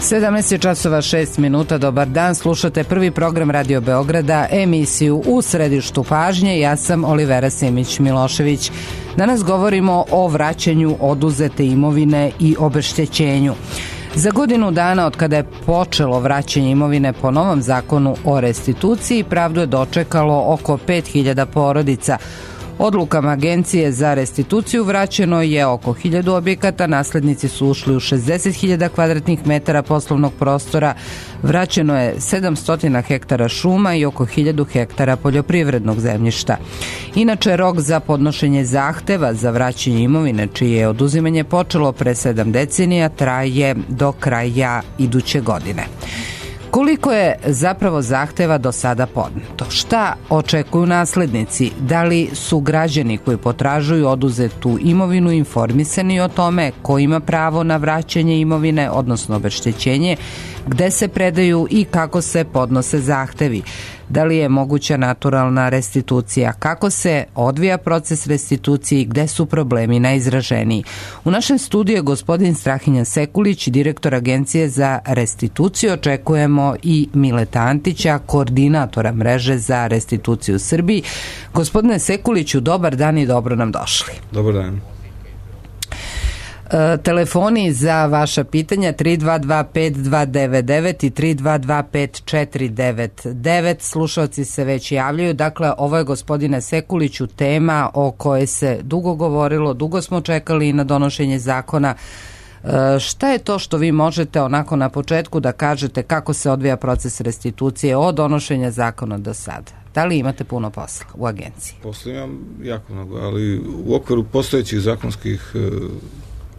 17:06. Dobar dan, slušate prvi program Radio Beograda, emisiju U središtu pažnje. Ja sam Olivera Simić-Milošević. Danas govorimo o vraćanju oduzete imovine i obeštećenju. Za godinu dana od kada je počelo vraćanje imovine po novom zakonu o restituciji, pravdu je dočekalo oko 5000 porodica. Odlukama Agencije za restituciju vraćeno je oko 1000 objekata, naslednici su ušli u 60.000 kvadratnih metara poslovnog prostora, vraćeno je 700 hektara šuma i oko 1000 hektara poljoprivrednog zemljišta. Inače, rok za podnošenje zahteva za vraćanje imovine, čije je oduzimanje počelo pre 7 decenija, traje do kraja iduće godine. Koliko je zapravo zahteva do sada podneto? Šta očekuju naslednici? Da li su građani koji potražuju oduzetu imovinu informisani o tome ko ima pravo na vraćanje imovine, odnosno obeštećenje, gde se predaju i kako se podnose zahtevi? Da li je moguća naturalna restitucija? Kako se odvija proces restitucije i gde su problemi najizraženiji? U našem studiju je gospodin Strahinja Sekulić, direktor Agencije za restituciju. Očekujemo i Mileta Antića, koordinatora mreže za restituciju u Srbiji. Gospodine Sekuliću, dobar dan i dobro nam došli. Dobar dan. Telefoni za vaša pitanja 322-5299 i 322-5499. Slušalci se već javljaju. Dakle, ovo je, gospodine Sekuliću, tema o kojoj se dugo govorilo, dugo smo čekali na donošenje zakona. Šta je to što vi možete onako na početku da kažete kako se odvija proces restitucije od donošenja zakona do sada? Da li imate puno posla u agenciji? Posla imam jako mnogo, ali u okviru postojećih zakonskih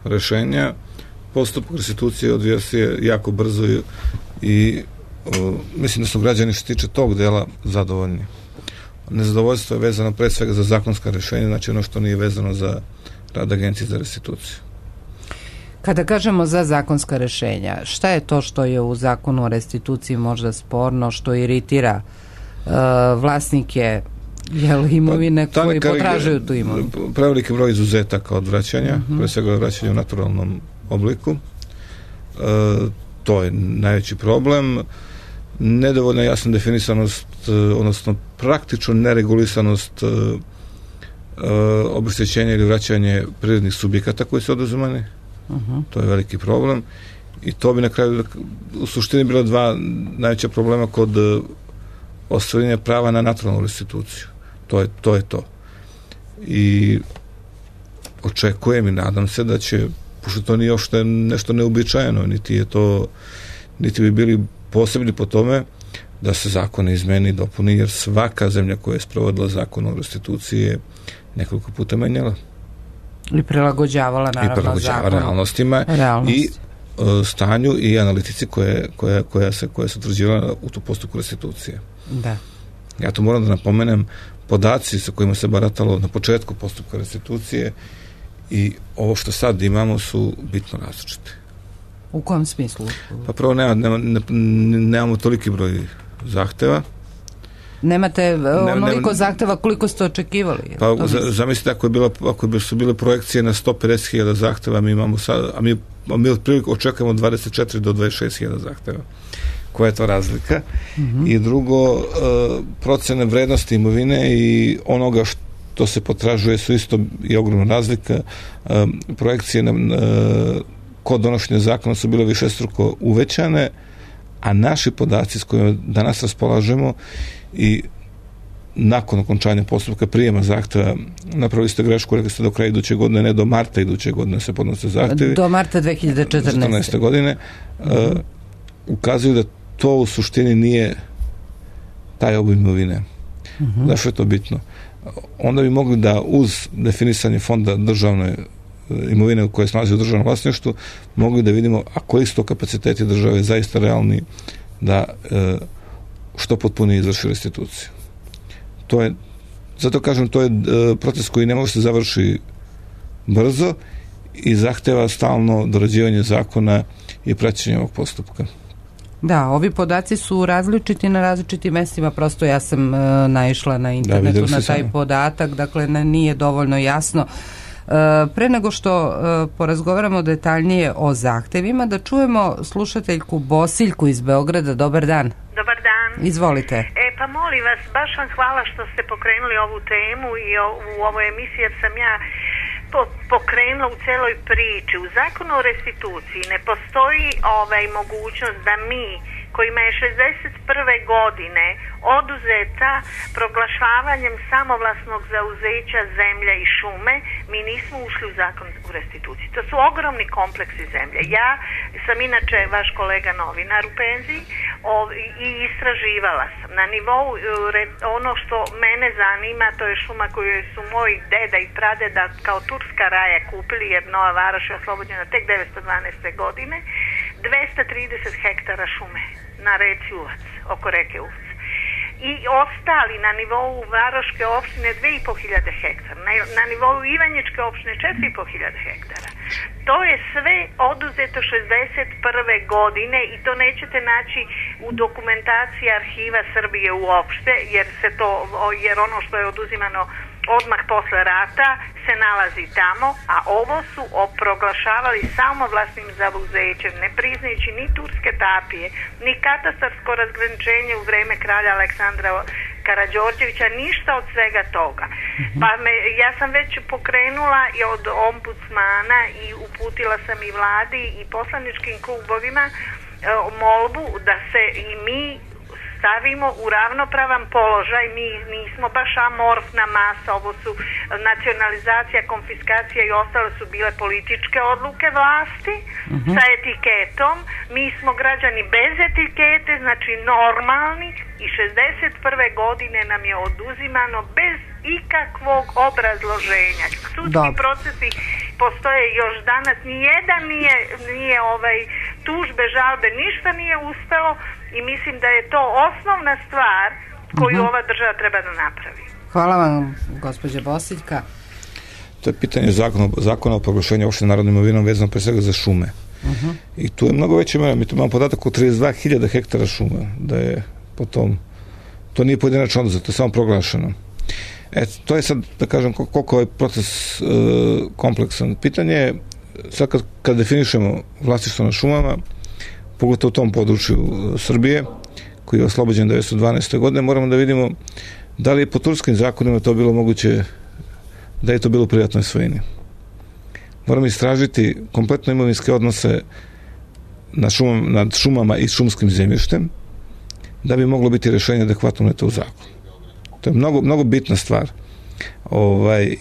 rešenja postupak restitucije odvija se jako brzo i mislim da su građani što tiče tog dela zadovoljni. Nezadovoljstvo je vezano pre svega za zakonska rešenja, znači ono što nije vezano za rad Agencije za restituciju. Kada kažemo za zakonska rešenja, šta je to što je u zakonu o restituciji možda sporno, što iritira vlasnike imovine koji potražuju tu imovinu? Preveliki broj izuzetaka od vraćanja, pre svega vraćanja u naturalnom obliku. To je najveći problem. Nedovoljna jasna definisanost, odnosno praktično neregulisanost obeštećenja ili vraćanje prirodnih subjekata koji su oduzimani. To je veliki problem. I to bi na kraju u suštini bilo dva najveća problema kod ostvarenja prava na naturalnu restituciju. To je to. I očekujem i nadam se da će, pošto to nije još nešto neobičajeno, niti bi bili posebni po tome, da se zakon izmeni i dopuni, jer svaka zemlja koja je sprovodila zakon o restituciji je nekoliko puta menjala. I prilagođavala naravno zakon. Realnostima i stanju i analitici koja se utvrđivala u tu postupku restitucije. Da. Ja to moram da napomenem, podaci sa kojima se baratalo na početku postupka restitucije i ovo što sad imamo su bitno različite. U kom smislu? Pa prvo nemamo toliki broj zahteva. Nemate onoliko zahteva koliko ste očekivali? Pa zamislite, ako su bile projekcije na 150.000 zahteva, mi imamo sad, a mi otprilike očekujemo 24 do 26.000 zahteva. Koja je to razlika? I drugo, procene vrednosti imovine i onoga što se potražuje su isto i ogromna razlika. Projekcije kod donošenja zakona su bile višestruko uvećane, a naši podaci s kojima danas raspolažemo i nakon okončanja postupka prijema zahteva, napravili ste grešku, rekli ste do kraja iduće godine, ne do marta iduće godine se podnose zahtevi. Do marta 2014. godine. Ukazuju da to u suštini nije taj obim imovine. Zašto je to bitno? Onda bi mogli da uz definisanje fonda državne imovine koje se nalazi u državnom vlasništvu, mogli da vidimo a koji su to kapaciteti države zaista realni da što potpunije izvrši restituciju. Zato kažem, to je proces koji ne može se završi brzo i zahteva stalno dorađivanje zakona i praćenje ovog postupka. Da, ovi podaci su različiti na različitim mestima, prosto ja sam naišla na internetu na taj podatak, dakle nije dovoljno jasno Pre nego što porazgovaramo detaljnije o zahtevima, da čujemo slušateljku Bosiljku iz Beograda. Dobar dan. Dobar dan. Izvolite. Pa molim vas, baš vam hvala što ste pokrenuli ovu temu i u ovoj emisiji, jer sam ja pokrenula u celoj priči. U zakonu o restituciji ne postoji mogućnost da mi kojima je 61. godine oduzeta proglašavanjem samovlasnog zauzeća zemlja i šume, mi nismo ušli u zakon u restituciji. To su ogromni kompleksi zemlje. Ja sam inače vaš kolega novinar u penziji i istraživala sam. Na nivou, ono što mene zanima, to je šuma koju su moji deda i pradeda kao turska raja kupili, jer Nova Varoš je oslobođena tek 912. godine, 230 hektara šume na reci Uvac, oko reke Uvac. I ostali na nivou Varoške opštine 2500 hektara, na nivou Ivanjičke opštine 4500 hektara. To je sve oduzeto 61. godine i to nećete naći u dokumentaciji Arhiva Srbije uopšte, jer ono što je oduzimano odmah posle rata se nalazi tamo, a ovo su proglašavali samovlasnim zauzećem, ne priznajući ni turske tapije, ni katastarsko razgraničenje u vreme kralja Aleksandra Karađorđevića, ništa od svega toga. Pa ja sam već pokrenula i od ombudsmana i uputila sam i vladi i poslaničkim klubovima molbu da se i mi stavimo u ravnopravan položaj. Mi nismo baš amorfna masa, ovo su nacionalizacija, konfiskacija i ostale su bile političke odluke vlasti sa etiketom. Mi smo građani bez etikete, znači normalni, i 61. godine nam je oduzimano bez ikakvog obrazloženja. Sudski procesi postoje još danas, nijedan nije tužbe, žalbe, ništa nije uspelo i mislim da je to osnovna stvar koju ova država treba da napravi. Hvala vam, gospođa Bosiljka. To je pitanje zakona o proglašenju opšte narodnom imovinom vezano pre svega za šume. I tu je mnogo veće mera. Mi tu imamo podatak o 32.000 hektara šuma, da je potom, to nije pojedinačno oduzeto, to je samo proglašeno. To je sad, da kažem, koliko je proces kompleksan. Pitanje je, sad kad definišemo vlasništvo na šumama, pogotovo u tom području Srbije, koji je oslobođen 1912. godine, moramo da vidimo da li je po turskim zakonima to bilo moguće, da je to bilo u privatnoj svojini. Moramo istražiti kompletno imovinske odnose nad šumama i šumskim zemljištem, da bi moglo biti rešenje adekvatno uneto u zakon. To je mnogo bitna stvar.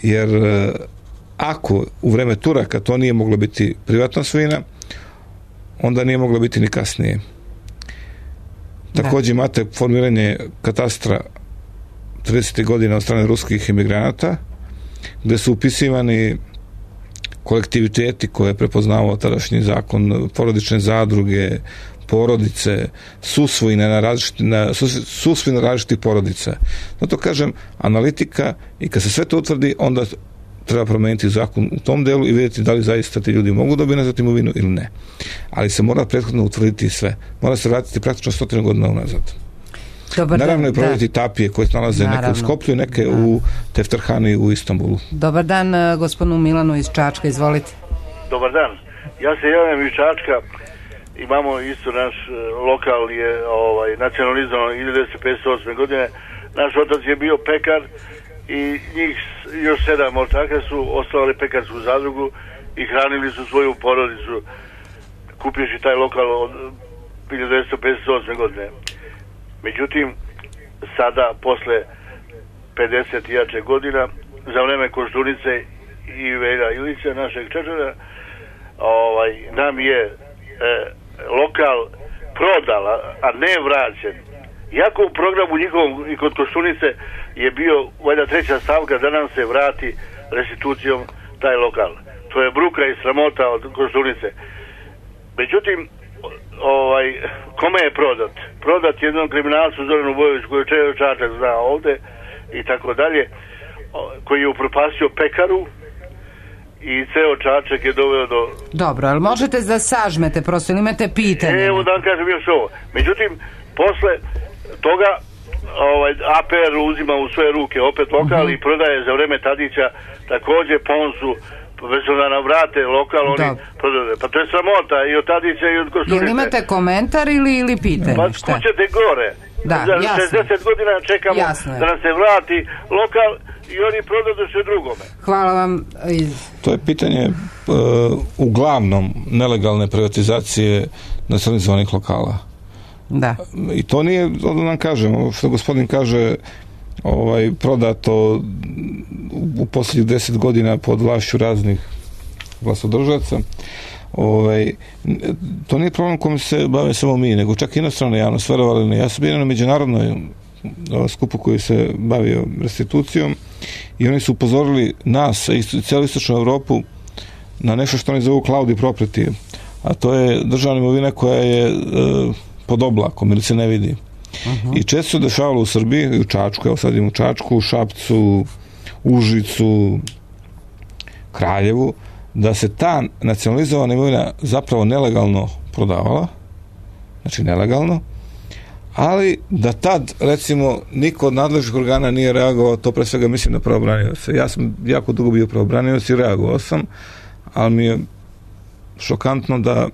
Jer ako u vreme Turaka to nije moglo biti privatna svojina, onda nije moglo biti ni kasnije. Takođe imate formiranje katastra 30. godina od strane ruskih emigranata, gde su upisivani kolektiviteti koje je prepoznavao tadašnji zakon, porodične zadruge, porodice, susvojine na različitih porodica. Zato kažem, analitika, i kad se sve to utvrdi, onda treba promeniti zakon u tom delu i vidjeti da li zaista ti ljudi mogu dobiti nazad imovinu ili ne. Ali se mora prethodno utvrditi sve. Mora se vratiti praktično 100 godina unazad. Naravno i provoditi tapije koje se nalaze neke u Skoplju, neke u Tefterhani u Istanbulu. Dobar dan gospodinu Milanu iz Čačka, izvolite. Dobar dan. Ja se javljam iz Čačka. Imamo isto naš lokal je nacionalizovan 1958. godine. Naš otac je bio pekar i njih još 7 ortaka su osnovali pekarsku zadrugu i hranili su svoju porodicu kupivši taj lokal od 1958. godine. Međutim, sada posle 50 i jače godina, za vreme Koštunice i Velja Ilića, našeg Čečana, nam je lokal prodala, a ne vraćen. Iako u programu njihovom i kod Koštunice je bio valjda treća stavka da nam se vrati restitucijom taj lokal. To je bruka i sramota od Koštunice. Međutim, kome je prodat? Prodat jednom kriminalcu Zoranu Bojoviću koji je Čačak zna ovde i tako dalje, koji je upropastio pekaru i ceo Čačak je doveo do... Dobro, ali možete da sažmete, prosto ili imate pitanje? Evo da vam kažem još ovo. Međutim, posle toga APR uzima u svoje ruke opet lokal i prodaje za vreme Tadića takođe Ponsu već da nam vrate lokal, oni prodaju. Pa to je sramota i od Tadića i od Koštunice. Jel imate komentar ili pitanje? Pa kućete gore. Da, za jasno. 60 godina čekamo da nam se vrati lokal i oni prodaju sve drugome. Hvala vam. To je pitanje uglavnom nelegalne privatizacije nacionalizovanih lokala. Da. I to nije, da nam kažemo, što gospodin kaže, prodato u posljednjih 10 godina pod vlašću raznih vlastodržaca. To nije problem kojim se bave samo mi, nego čak i inostrana javnost, verovali ne. Ja sam bio na međunarodnoj skupu koji se bavio restitucijom i oni su upozorili nas i cijelu istočnu Evropu na nešto što oni zovu cloud property, a to je državna imovina koja je pod oblakom ili se ne vidi. I često se dešavalo u Srbiji, u Čačku, evo sad idem u Čačku, u Šapcu, Užicu, Kraljevu, da se ta nacionalizovana imovina zapravo nelegalno prodavala, znači nelegalno, ali da tad, recimo, niko od nadležnih organa nije reagovao, to pre svega mislim na pravobranioce. Ja sam jako dugo bio pravobranioc i reagovao sam, ali mi je šokantno da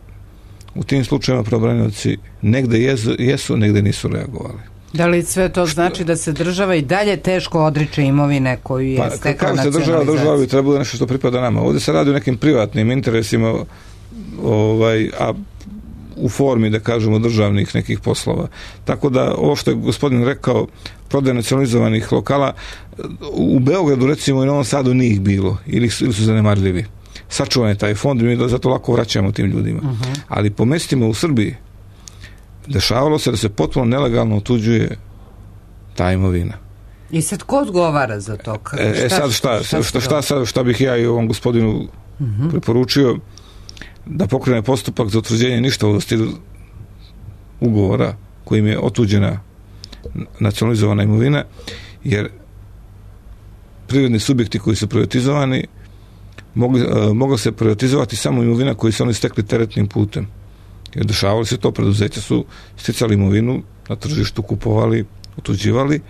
u tim slučajima pravobranioci negde jesu, negde nisu reagovali. Da li sve to znači da se država i dalje teško odriče imovine koju je stekla nacionalizacija? Država bi trebalo nešto što pripada nama. Ovdje se radi o nekim privatnim interesima, a u formi, da kažemo, državnih nekih poslova. Tako da, ovo što je gospodin rekao, prodaje nacionalizovanih lokala, u Beogradu, recimo, i Novom Sadu nije ih bilo, ili su zanemarljivi. Sačuvan je taj fond i mi zato lako vraćamo tim ljudima. Ali po mestima u Srbiji dešavalo se da se potpuno nelegalno otuđuje ta imovina. I sad ko odgovara za to? Šta bih ja i ovom gospodinu preporučio? Da pokrene postupak za utvrđenje ništavosti ugovora kojim je otuđena nacionalizovana imovina, jer privredni subjekti koji su privatizovani mogla se privatizovati samo imovina koju su oni stekli teretnim putem. Jer dešavalo se to, preduzeća su sticali imovinu, na tržištu kupovali, otuđivali,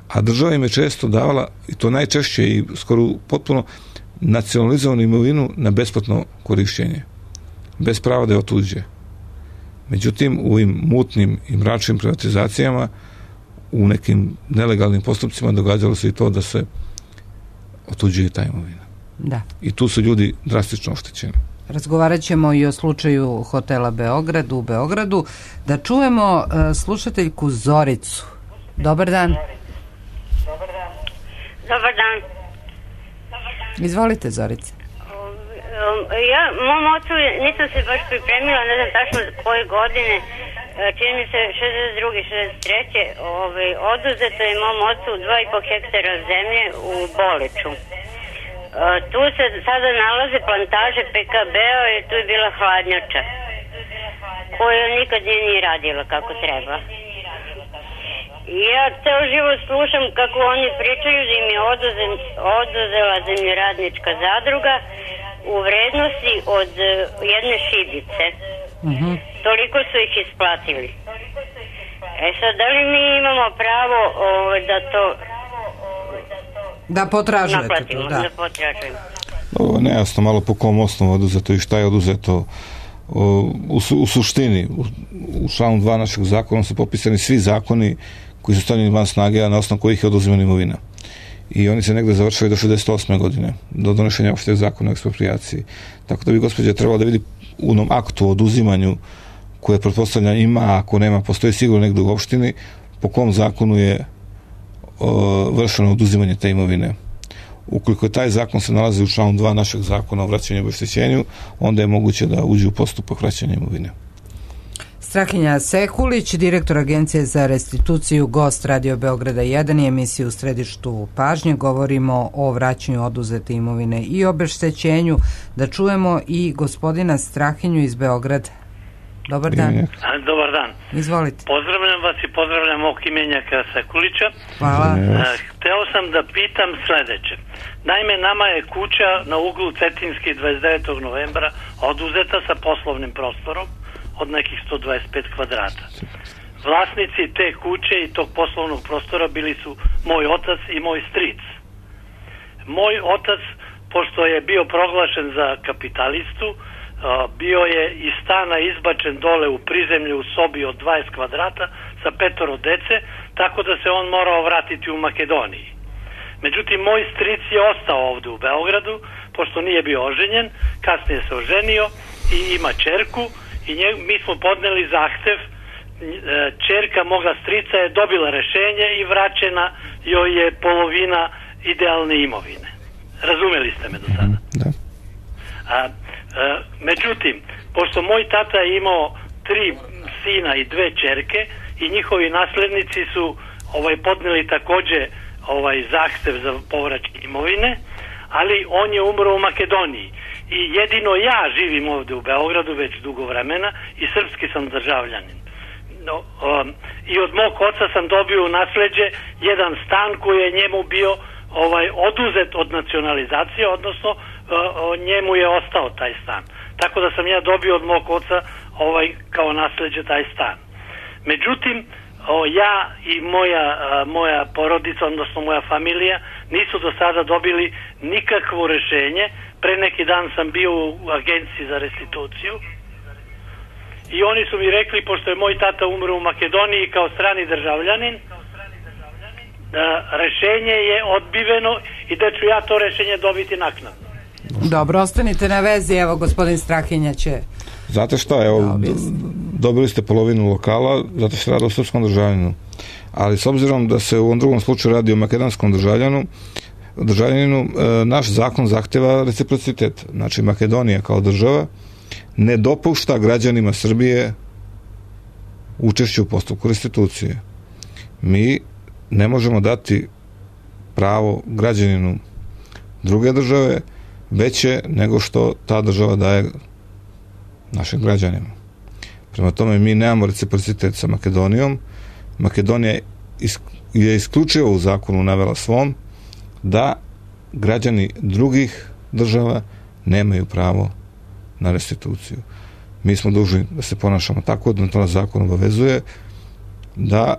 a država im je često davala, i to najčešće i skoro potpuno, nacionalizovanu imovinu na besplatno korišćenje, bez prava da je otuđe. Međutim, u ovim mutnim i mračnim privatizacijama, u nekim nelegalnim postupcima događalo se i to da se otuđuje ta imovina. Da. I tu su ljudi drastično oštećeni. Razgovarat ćemo i o slučaju hotela Beograd u Beogradu. Da čujemo slušateljku Zoricu. Dobar dan. Dobar dan. Izvolite, Zorice. Mom ocu nisam se baš pripremila, ne znam tačno koje godine, čini mi se 62. 63. Oduzeto je mom ocu 2,5 hektara zemlje u Boleču. Tu se sada nalaze plantaže PKB-a i tu je bila hladnjača koja nikad nije radila kako treba. I ja ceo život slušam kako oni pričaju da im je oduzela zemljoradnička zadruga u vrednosti od jedne šibice. Toliko su ih isplatili. Sad, da li mi imamo pravo da to da potražujete naplatimo, to? Da potražujemo. Ovo je nejasno malo po kom osnovu oduzeto i šta je oduzeto. U suštini, u članu 2 našeg zakona su popisani svi zakoni koji su stavljeni van snage, a na osnovu kojih je oduzimana imovina. I oni se negde završaju do 68. godine, do donošenja opšteg zakona o eksproprijaciji. Tako da bi gospođa trebala da vidi u onom aktu o oduzimanju koje pretpostavlja ima, ako nema, postoji sigurno negde u opštini, po kom zakonu je vršeno oduzimanje te imovine. Ukoliko je taj zakon se nalazi u članu 2 našeg zakona o vraćanju i obeštećenju, onda je moguće da uđe u postupak vraćanja imovine. Strahinja Sekulić, direktor Agencije za restituciju, gost Radio Beograda 1 i emisiju U središtu pažnje. Govorimo o vraćanju oduzete imovine i obeštećenju. Da čujemo i gospodina Strahinju iz Beograda. Dobar dan. Dobar dan. Izvolite. Pozdravljam vas i pozdravljam mog imenjaka Sekulića. Hvala. Hteo sam da pitam sledeće. Naime, nama je kuća na uglu Cetinski 29. novembra oduzeta sa poslovnim prostorom od nekih 125 kvadrata. Vlasnici te kuće i tog poslovnog prostora bili su moj otac i moj stric. Moj otac pošto je bio proglašen za kapitalistu, bio je iz stana izbačen dole u prizemlju u sobi od 20 kvadrata sa 5 dece, tako da se on morao vratiti u Makedoniji. Međutim, moj stric je ostao ovde u Beogradu, pošto nije bio oženjen, kasnije se oženio i ima ćerku i mi smo podneli zahtev. Ćerka moga strica je dobila rešenje i vraćena joj je polovina idealne imovine. Razumeli ste me do sada? Da. Međutim, pošto moj tata je imao 3 sina i 2 ćerke i njihovi naslednici su podneli takođe zahtev za povraćaj imovine, ali on je umro u Makedoniji i jedino ja živim ovde u Beogradu već dugo vremena i srpski sam državljanin. I od mog oca sam dobio u nasleđe jedan stan koji je njemu bio oduzet od nacionalizacije, odnosno njemu je ostao taj stan. Tako da sam ja dobio od mog oca kao nasleđe taj stan. Međutim, ja i moja porodica, odnosno moja familija, nisu do sada dobili nikakvo rešenje. Pre neki dan sam bio u agenciji za restituciju i oni su mi rekli, pošto je moj tata umro u Makedoniji kao strani državljanin, rešenje je odbiveno i da ću ja to rešenje dobiti naknadno. Dobro, ostanite na vezi, evo gospodin Strahinja će... Znate šta, evo, dobili ste polovinu lokala, zato se radi o srpskom državljaninu. Ali s obzirom da se u ovom drugom slučaju radi o makedonskom državljaninu, naš zakon zahteva reciprocitet. Znači, Makedonija kao država ne dopušta građanima Srbije učešće u postupku restitucije. Mi ne možemo dati pravo građaninu druge države veće nego što ta država daje našim građanima. Prema tome, mi nemamo reciprocitet sa Makedonijom. Makedonija je isključivo u zakonu navela svom da građani drugih država nemaju pravo na restituciju. Mi smo dužni da se ponašamo tako, da to nas zakon obavezuje, da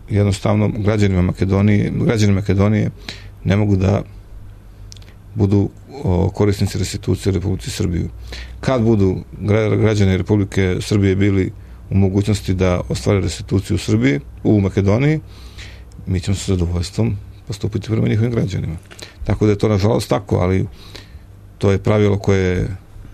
jednostavno građani Makedonije ne mogu da budu korisnici restitucije u Republici Srbiju. Kad budu građani Republike Srbije bili u mogućnosti da ostvare restituciju u Srbiji, u Makedoniji, mi ćemo sa zadovoljstvom postupiti prema njihovim građanima. Tako da je to nažalost tako, ali to je pravilo koje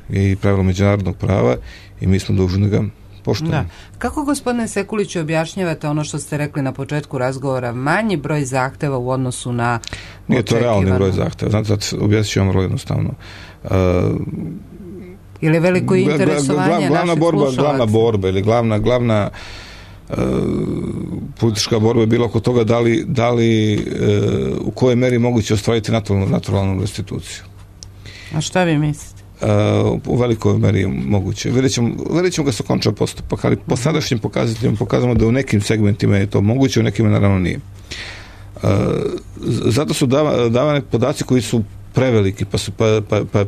je i pravilo međunarodnog prava i mi smo dužni da ga poštujemo. Da. Kako, gospodine Sekuliću, objašnjavate ono što ste rekli na početku razgovora, manji broj zahteva u odnosu na Nije to realni broj zahteva. Znate, objasnit ću vam vrlo jednostavno. Ili veliko interesovanje naših slušalaca? Glavna borba ili glavna politička borba je bila oko toga da li u kojoj meri moguće ostvariti naturalnu restituciju. A šta vi mislite? U velikoj meri moguće. Vidjet ćemo ga se konča postupak, ali po sadašnjim pokazateljima pokazamo da u nekim segmentima je to moguće, u nekima naravno nije. Zato su davane podaci koji su preveliki,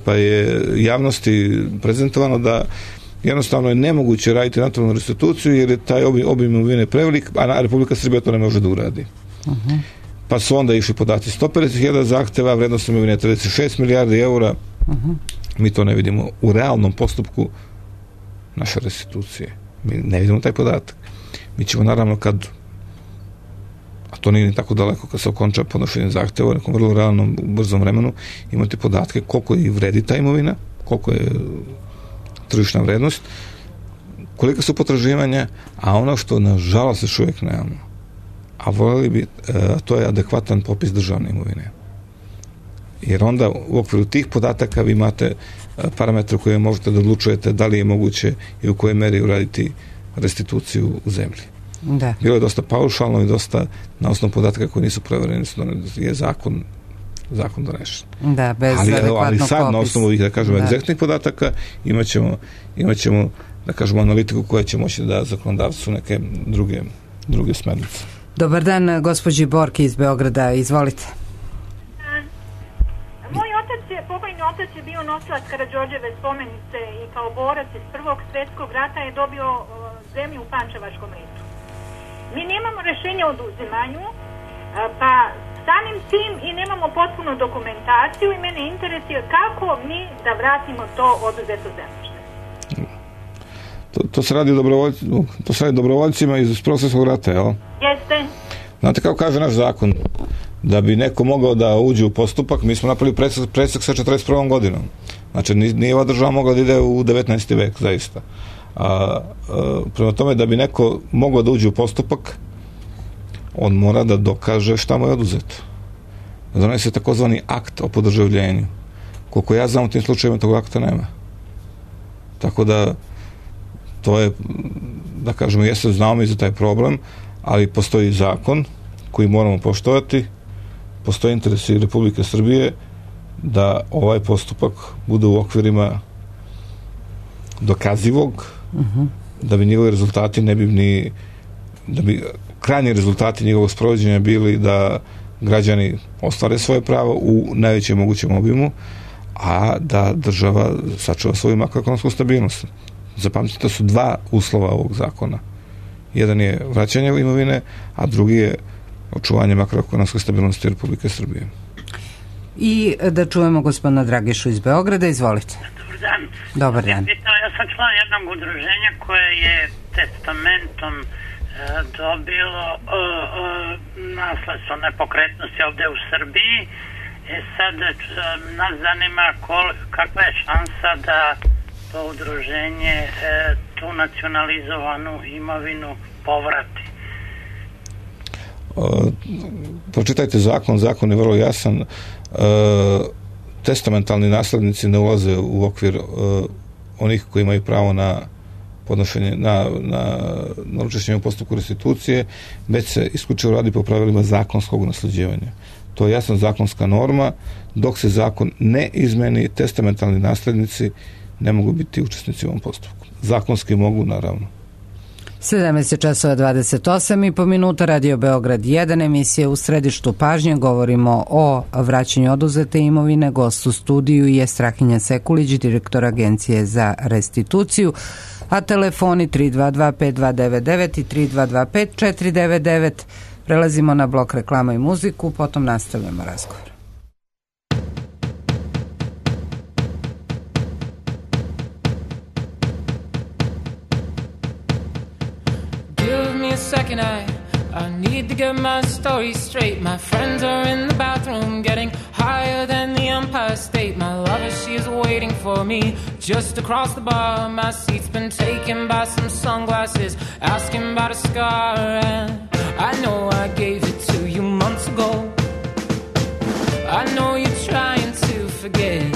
pa je javnosti prezentovano da jednostavno je nemoguće raditi naturalnu restituciju jer je taj obim imovine prevelik, a Republika Srbija to ne može da uradi. Pa su onda išli podaci 150.000 zahteva, vrednost imovine 36 milijardi eura. Mi to ne vidimo u realnom postupku naše restitucije. Mi ne vidimo taj podatak. Mi ćemo naravno a to nije ni tako daleko, kad se okonča podnošenje zahteva u nekom vrlo realnom, brzom vremenu, imati podatke koliko i vredi ta imovina, koliko je tržišna vrednost, kolika su potraživanja, a ono što nažalost još uvijek nemamo, a voljeli bi, to je adekvatan popis državne imovine. Jer onda u okviru tih podataka vi imate parametre koje možete da odlučujete da li je moguće i u kojoj meri uraditi restituciju u zemlji. Da. Bilo je dosta paušalno i dosta na osnovu podataka koji nisu prevereni, je zakon donešen. Da, bez adekvatnog ali sad na osnovu ovih, da kažemo, egzaktnih podataka imat ćemo, da kažemo, analitiku koja će moći da zakonodavcu neke druge smernice. Dobar dan, gospođi Borki iz Beograda, izvolite. Pokojni otac je bio nosilac Karađorđeve spomenice i kao borac iz Prvog svjetskog rata je dobio zemlju u Pančevačkom ritu. Mi nemamo rešenje o oduzimanju, pa Samim tim i nemamo potpunu dokumentaciju i mene interesuje kako mi da vratimo to oduzeto zemljište. To se radi dobrovoljcima iz Prvog svjetskog rata, jel? Jeste. Znate kako kaže naš zakon? Da bi neko mogao da uđe u postupak, mi smo napravili presek sa 41. godinom. Znači, nije ova država mogla da ide u 19. vek, zaista. Prema tome, da bi neko mogao da uđe u postupak, on mora da dokaže šta mu je oduzeto. Donese takozvani akt o podržavljenju. Koliko ja znam, u tim slučajima tog akta nema. Tako da, to je, da kažemo, jeste znamo i za taj problem, ali postoji zakon koji moramo poštovati, postoji interesi Republike Srbije da ovaj postupak bude u okvirima dokazivog, da bi njegovi rezultati da bi krajnji rezultati njegovog sprovođenja bili da građani ostvare svoje pravo u najvećem mogućem obimu, a da država sačuva svoju makroekonomsku stabilnost. Zapamtite, to su dva uslova ovog zakona. Jedan je vraćanje imovine, a drugi je očuvanje makroekonomske stabilnosti Republike Srbije. I da čujemo gospodina Dragišu iz Beograda, izvolite. Dobar dan. Dobar dan. Ja sam član jednog udruženja koje je testamentom dobilo nasledstvo nepokretnosti ovde u Srbiji. Sad nas zanima kakva je šansa da to udruženje tu nacionalizovanu imovinu povrati. Pročitajte zakon je vrlo jasan. Testamentalni naslednici ne ulaze u okvir onih koji imaju pravo na podnošenje, na učešćenje u postupku restitucije, već se isključivo radi po pravilima zakonskog nasleđivanja. To je jasna zakonska norma. Dok se zakon ne izmeni, testamentalni naslednici ne mogu biti učesnici u ovom postupku. Zakonski mogu, naravno. 17:28 Radio Beograd 1, emisija U središtu pažnje. Govorimo o vraćanju oduzete imovine. Gost u studiju je Strahinja Sekulić, direktor Agencije za restituciju, a telefoni 322-5299 i 322-5499. Prelazimo na blok reklama i muziku, potom nastavljamo razgovor. Second, I need to get my story straight. My friends are in the bathroom getting higher than the Empire State. My lover, she is waiting for me just across the bar. My seat's been taken by some sunglasses asking about a scar, and I know I gave it to you months ago. I know you're trying to forget,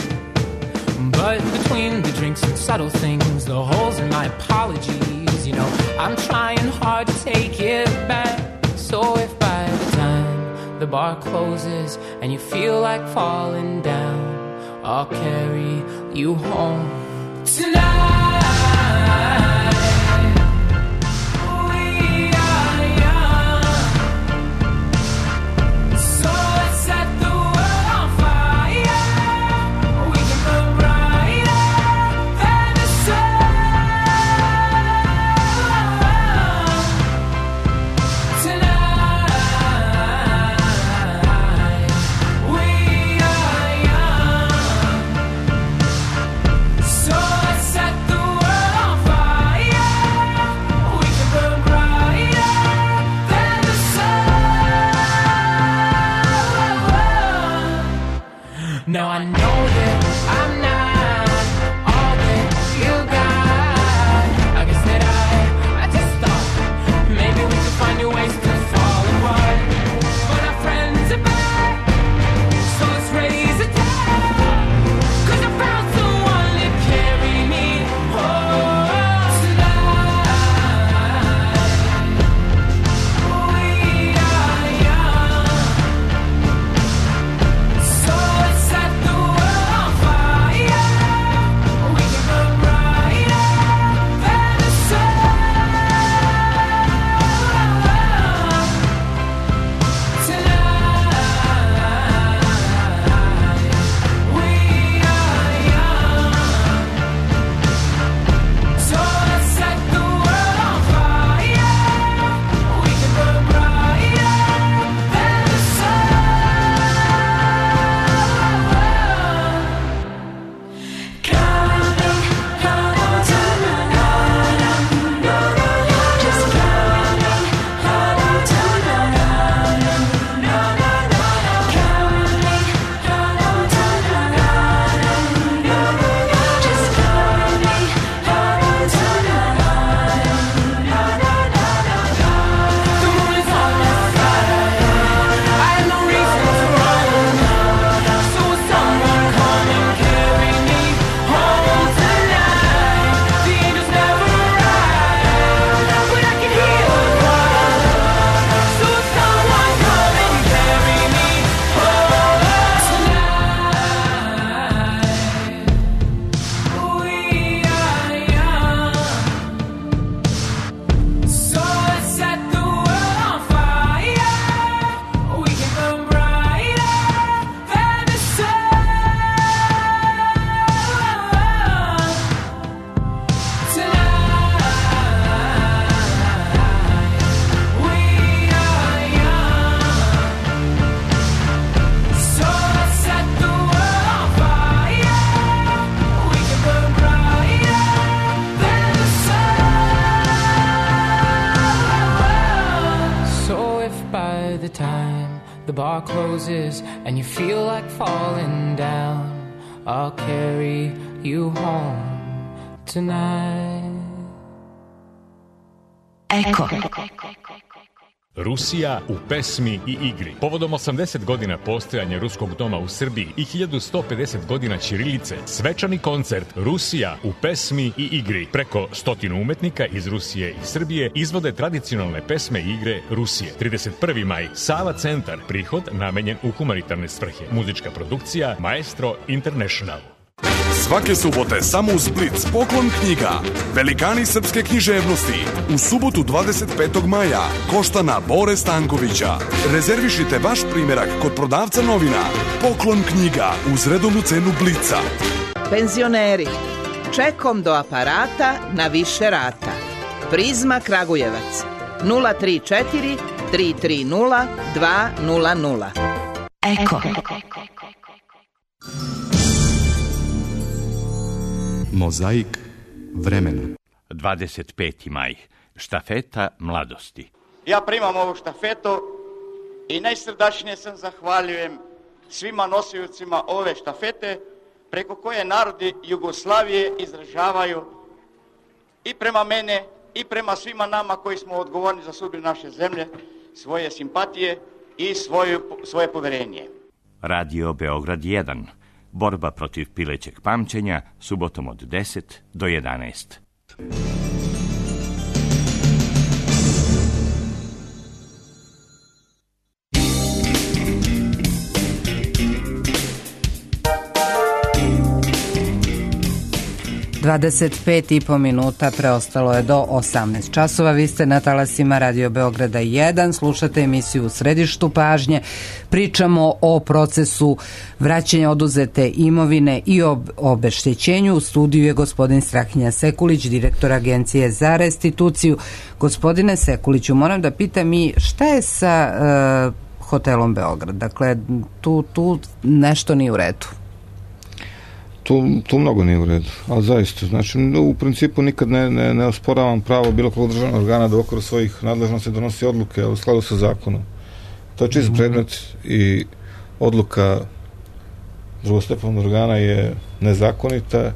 but between the drinks and subtle things, the holes in my apologies, you know, I'm trying hard to take it back. So if by the time the bar closes and you feel like falling down, I'll carry you home tonight. Fire. bar closes and you feel like falling down, I'll carry you home tonight. Eko. Rusija u pesmi i igri. Povodom 80 godina postojanja Ruskog doma u Srbiji i 1150 godina ćirilice, svečani koncert Rusija u pesmi i igri. Preko 100 umetnika iz Rusije i Srbije izvode tradicionalne pesme i igre Rusije. 31. maj, Sava centar, prihod namenjen u humanitarne svrhe. Muzička produkcija Maestro International. Svake subote samo u Split poklon knjiga Velikani srpske književnosti u subotu 25. maja Koštana Bore Stankovića. Rezervišite vaš primjerak kod prodavca novina. Poklon knjiga uz redovnu cenu Blica. Penzioneri, čekom do aparata na više rata. Prizma Kragujevac 034 330 200. Eko. Mozaik vremena. 25. maj. Štafeta mladosti. Ja primam ovu štafetu i najsrdačnije sam zahvaljujem svima nosiocima ove štafete preko koje narodi Jugoslavije izražavaju i prema mene i prema svima nama koji smo odgovorni za sudbinu naše zemlje svoje simpatije i svoje poverenje. Radio Beograd 1. Borba protiv pilećeg pamćenja, subotom od 10 do 11. 25,5 minuta preostalo je do 18 časova. Vi ste na talasima Radio Beograda 1, slušate emisiju U središtu pažnje. Pričamo o procesu vraćanja oduzete imovine i obeštećenju. U studiju je gospodin Strahinja Sekulić, direktor Agencije za restituciju. Gospodine Sekuliću, moram da pitam i šta je sa hotelom Beograd? Dakle, tu nešto nije u redu. Tu mnogo nije u redu, ali zaista, znači u principu nikad ne osporavam pravo bilo kog državnog organa da u okviru svojih nadležnosti donosi odluke u skladu sa zakonom. To je čist predmet i odluka drugostepenog organa je nezakonita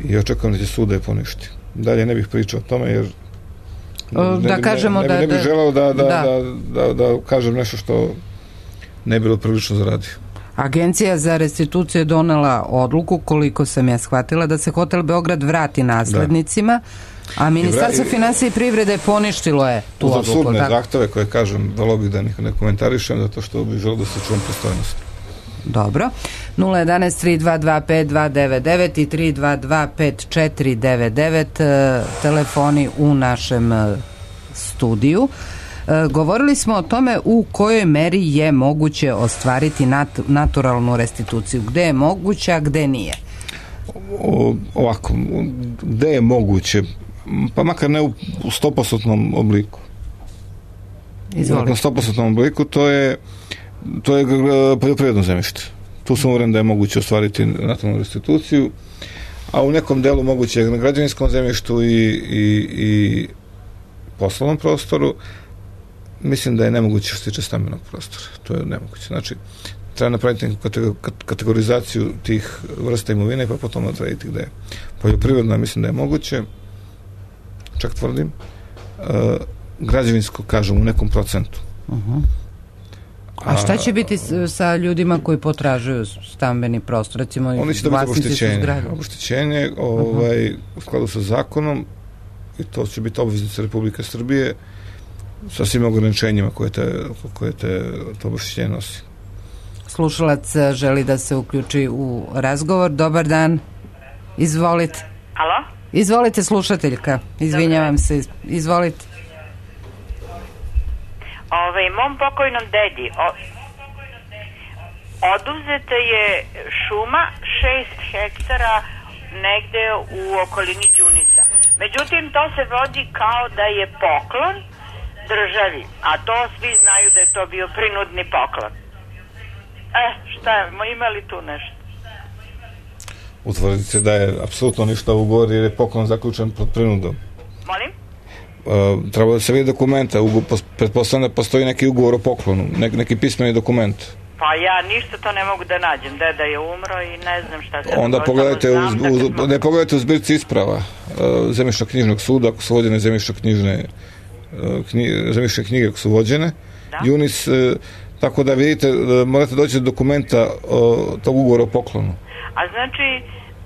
i očekujem da će sud da je poništi. Dalje ne bih pričao o tome jer ne bih želeo da kažem nešto što ne bi bilo prilično zaradio. Agencija za restituciju je donela odluku, koliko sam ja shvatila, da se hotel Beograd vrati naslednicima, a Ministarstvo finansija i privrede poništilo je tu odluku. Uz apsurdne zahteve koje, kažem, volio bih da ne komentarišem, zato što bih želeo da se čuvam pristojnost. Dobro. 011-322-5299 i 322-5499 telefoni u našem studiju. Govorili smo o tome u kojoj meri je moguće ostvariti naturalnu restituciju. Gde je moguće, a gde nije? Ovako, gde je moguće? Pa makar ne u 100% obliku. Izvolite. U 100% obliku to je poljoprivredno zemljište. Tu sam uveren da je moguće ostvariti naturalnu restituciju, a u nekom delu moguće na građevinskom zemljištu i poslovnom prostoru. Mislim da je nemoguće što se tiče stambenog prostora. To je nemoguće. Znači, treba napraviti kategorizaciju tih vrsta imovine pa potom odrediti gde je. Poljoprivredno mislim da je moguće, čak tvrdim, građevinsko, kažem, u nekom procentu. A šta će biti sa ljudima koji potražuju stambeni prostor? Recimo, oni će dobiti oboštećenje u skladu sa zakonom i to će biti obveznica Republike Srbije sa svim ograničenjima koje to oboštećenje nosi. Slušalac želi da se uključi u razgovor. Dobar dan. Izvolite. Alo? Izvolite, slušateljka. Izvinjavam se. Izvolite. Mom pokojnom dedi oduzeta je šuma 6 hektara negde u okolini Đunisa. Međutim, to se vodi kao da je poklon državi, a to svi znaju da je to bio prinudni poklon. Šta je, ima li tu nešto? Utvrdite da je apsolutno ništa u ugovor jer je poklon zaključen pod prinudom. Molim? treba da se vidi dokumenta, pretpostavljam da postoji neki ugovor o poklonu, neki pismeni dokument. Pa ja ništa to ne mogu da nađem, deda je umro i ne znam šta se... Onda pogledajte, ne pogledajte u zbirci isprava zemljišno-knjižnog suda, ako su vođene zemljišno-knjižne knjige, ako su vođene, Junis, tako da vidite, morate doći do dokumenta tog ugovora o poklonu. A znači,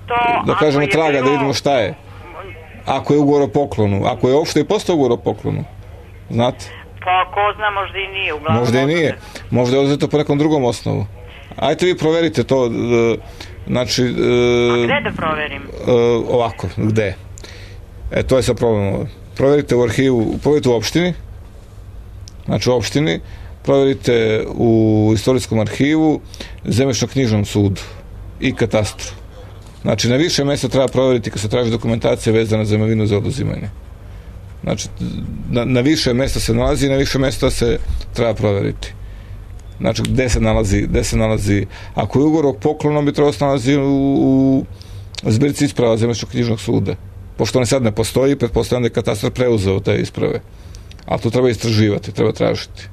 to... Da kažemo traga, da vidimo šta je. Ako je ugovor o poklonu, ako je uopšte i postao ugovor o poklonu, znate? Pa ko zna, možda i nije. Uglavnom, možda i nije, možda je oduzeto po nekom drugom osnovu. Ajte vi proverite to, znači... A gde da proverim? Ovako, gde? To je sad problem. Proverite u arhivu, proverite u opštini, znači u opštini, proverite u istorijskom arhivu, zemljišno-knjižnom sudu i katastru. Znači, na više mjesta treba proveriti kad se traži dokumentacija vezana za imovinu za oduzimanje. Znači, na više mjesta se nalazi i na više mjesta se treba proveriti. Znači, gde se nalazi, ako je ugovor o poklonu, bi trebalo se nalazi u zbirci isprava zemljišno-knjižnog suda. Pošto on sad ne postoji, pretpostavljam da je katastar preuzeo te isprave. Ali to treba istraživati, treba tražiti.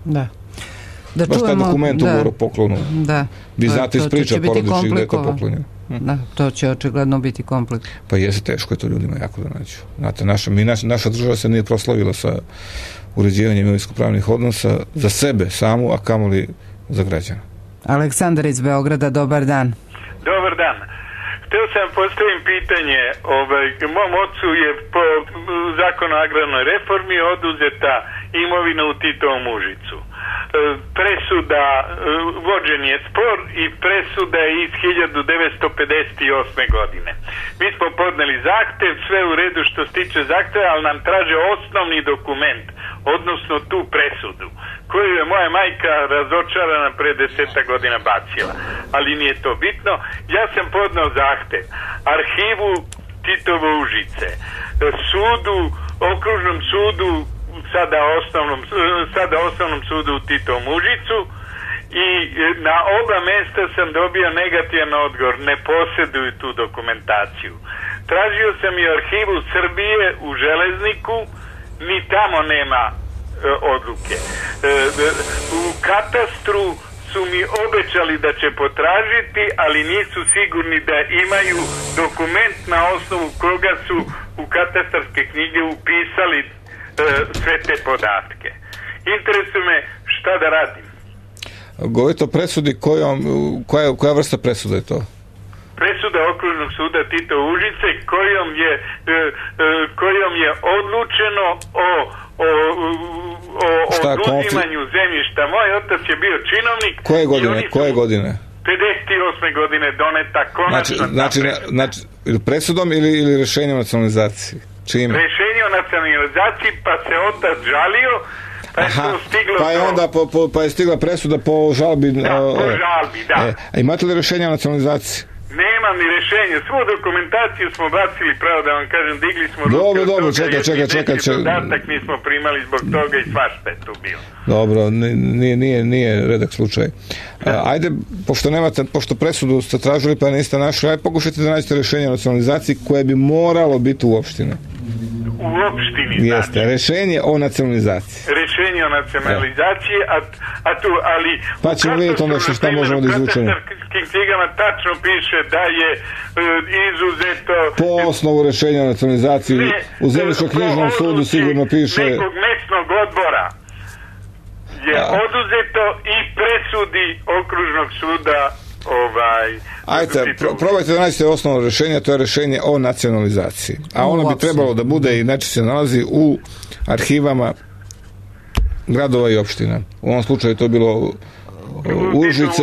Da. Baš taj dokument ugovor o poklonu. Da. Vi znate iz priča porodičnih gde je to poklonjeno. Da, to će očigledno biti komplikovano. Pa jeste, teško je to ljudima jako da nađu. Znate, naša država se nije proslavila sa uređivanjem imovinsko-pravnih odnosa za sebe samu, a kamoli za građana. Aleksandar iz Beograda, dobar dan. Dobar dan. Hteo sam postavim pitanje, mom ocu je po zakonu o agrarnoj reformi oduzeta imovina u Titovom Užicu. Presuda, vođen je spor i presuda je iz 1958. godine. Mi smo podneli zahtev, sve u redu što se tiče zahteva, ali nam traže osnovni dokument, odnosno tu presudu, koju je moja majka razočarana pre 10 godina bacila. Ali nije to bitno. Ja sam podneo zahtev arhivu Titovo Užice, sudu, okružnom sudu, sada osnovnom sudu u Titovom Užicu, i na oba mesta sam dobio negativan odgovor, ne posjeduju tu dokumentaciju. Tražio sam i arhivu Srbije u Železniku, ni tamo nema odluke. U katastru su mi obećali da će potražiti, ali nisu sigurni da imaju dokument na osnovu koga su u katastarske knjige upisali sve te podatke. Interesuje me šta da radim. Govorite o presudi, koja vrsta presuda je to? Presuda okružnog suda Tito Užice kojom je odlučeno o oduzimanju zemljišta. Moj otac je bio činovnik. Koje godine? 58. godine doneta konačna znači presudom ili rešenjem o nacionalizaciji? Čime? Rešenje o nacionalizaciji, pa se otac žalio, pa je to stiglo pa je onda pa je stigla presuda po žalbi. Da, po žalbi, da. A imate li rešenje o nacionalizaciji? Nemam ni rešenje. Svu dokumentaciju smo bacili, pravo da vam kažem, digli smo ruke. Dobro, čekaj. Dodatak nismo primali zbog toga i svašta je tu bilo. Dobro, nije redak slučaj. Ajde, pošto presudu ste tražili pa niste našli, ajde pokušajte da nađete rešenje o nacionalizaciji koje bi moralo biti u opštini. U opštini, jeste, znači. Rešenje o nacionalizaciji. Rešenje o nacionalizaciji, ali pa ćemo vidjeti onda šta možemo da izvučemo. U katastarskim knjigama tačno piše da je izuzeto... Po osnovu rešenja o nacionalizaciji u zemljišno-knjižnom sudu sigurno piše... Nekog mesnog odbora je oduzeto i presudi okružnog suda Ajde, probajte da nađete osnovno rešenje, to je rešenje o nacionalizaciji. A ono bi trebalo da bude i znači se nalazi u arhivama gradova i opština. U ovom slučaju to je bilo Užice.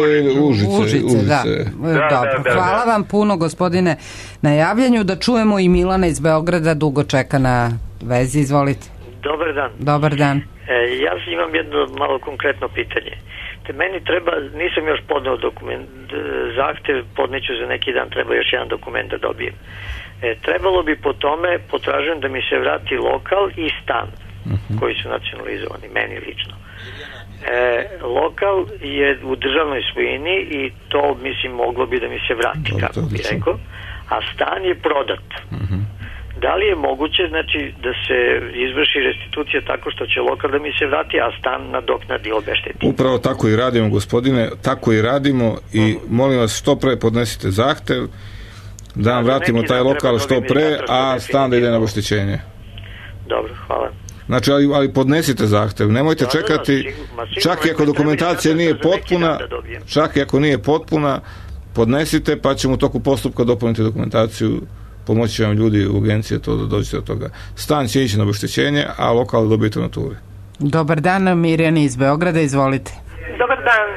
Da. Dobro. Hvala vam puno, gospodine, na javljanju. Da čujemo i Milana iz Beograda, dugo čeka na vezi. Izvolite. Dobar dan. Dobar dan. Ja imam jedno malo konkretno pitanje. Meni treba, nisam još podneo zahtev, podneću za neki dan, treba još jedan dokument da dobijem. Trebalo bi po tome, potražujem da mi se vrati lokal i stan koji su nacionalizovani, meni lično. Lokal je u državnoj svojini i to, mislim, moglo bi da mi se vrati, kako bi rekao, a stan je prodat. Da li je moguće, znači, da se izvrši restitucija tako što će lokal da mi se vrati, a stan nadoknadi obešteti? Upravo tako i radimo, gospodine, tako i radimo i molim vas što pre podnesite zahtev da vam vratimo taj lokal što pre, a stan da ide na obeštećenje. Dobro, hvala. Znači, ali podnesite zahtev, nemojte čekati, čak i ako dokumentacija nije potpuna, čak i ako nije potpuna, podnesite, pa ćemo u toku postupka dopuniti dokumentaciju, pomoći vam ljudi u agenciji to da dođete do toga. Stan će ići na obeštećenje, a lokal dobijete u naturi. Dobar dan, Mirjana iz Beograda, izvolite. Dobar dan.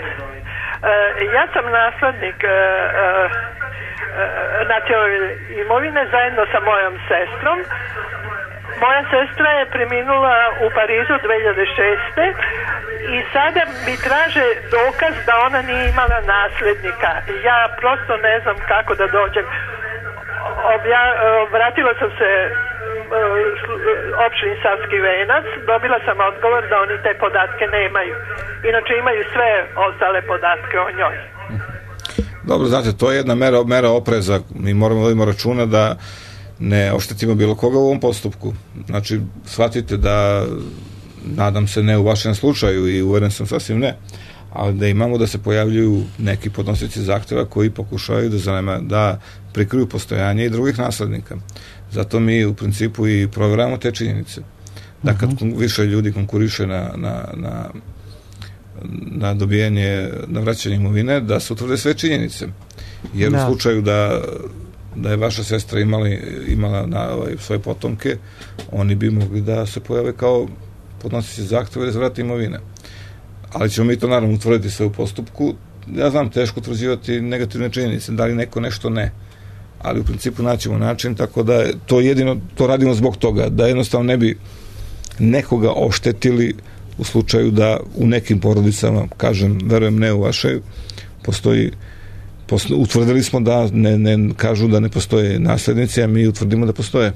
Ja sam naslednik nacionalne imovine zajedno sa mojom sestrom. Moja sestra je preminula u Parizu 2006. i sada mi traže dokaz da ona nije imala naslednika. Ja prosto ne znam kako da dođem. Vratila sam se opštini Savski Venac, dobila sam odgovor da oni te podatke nemaju. Inače imaju sve ostale podatke o njoj. Dobro, znate, to je jedna mera opreza. Mi moramo voditi računa da ne oštetimo bilo koga u ovom postupku. Znači, shvatite da, nadam se ne u vašem slučaju i uveren sam sasvim ne, ali da imamo da se pojavljuju neki podnosioci zahteva koji pokušavaju da prikriju postojanje i drugih naslednika. Zato mi u principu i provjeravamo te činjenice. Da kad više ljudi konkuriše na dobijanje, na vraćanje imovine, da se utvrde sve činjenice. Jer u slučaju da je vaša sestra imala svoje potomke, oni bi mogli da se pojave kao podnosioci zahteva da vrate imovine. Ali ćemo mi to naravno utvrditi sve u postupku. Ja znam, teško utvrđivati negativne činjenice, da li neko nešto ne. Ali u principu naćemo način, tako da to radimo zbog toga, da jednostavno ne bi nekoga oštetili u slučaju da u nekim porodicama, kažem, verujem ne u vašoj, utvrdili smo da ne kažu da ne postoje naslednici, a mi utvrdimo da postoje.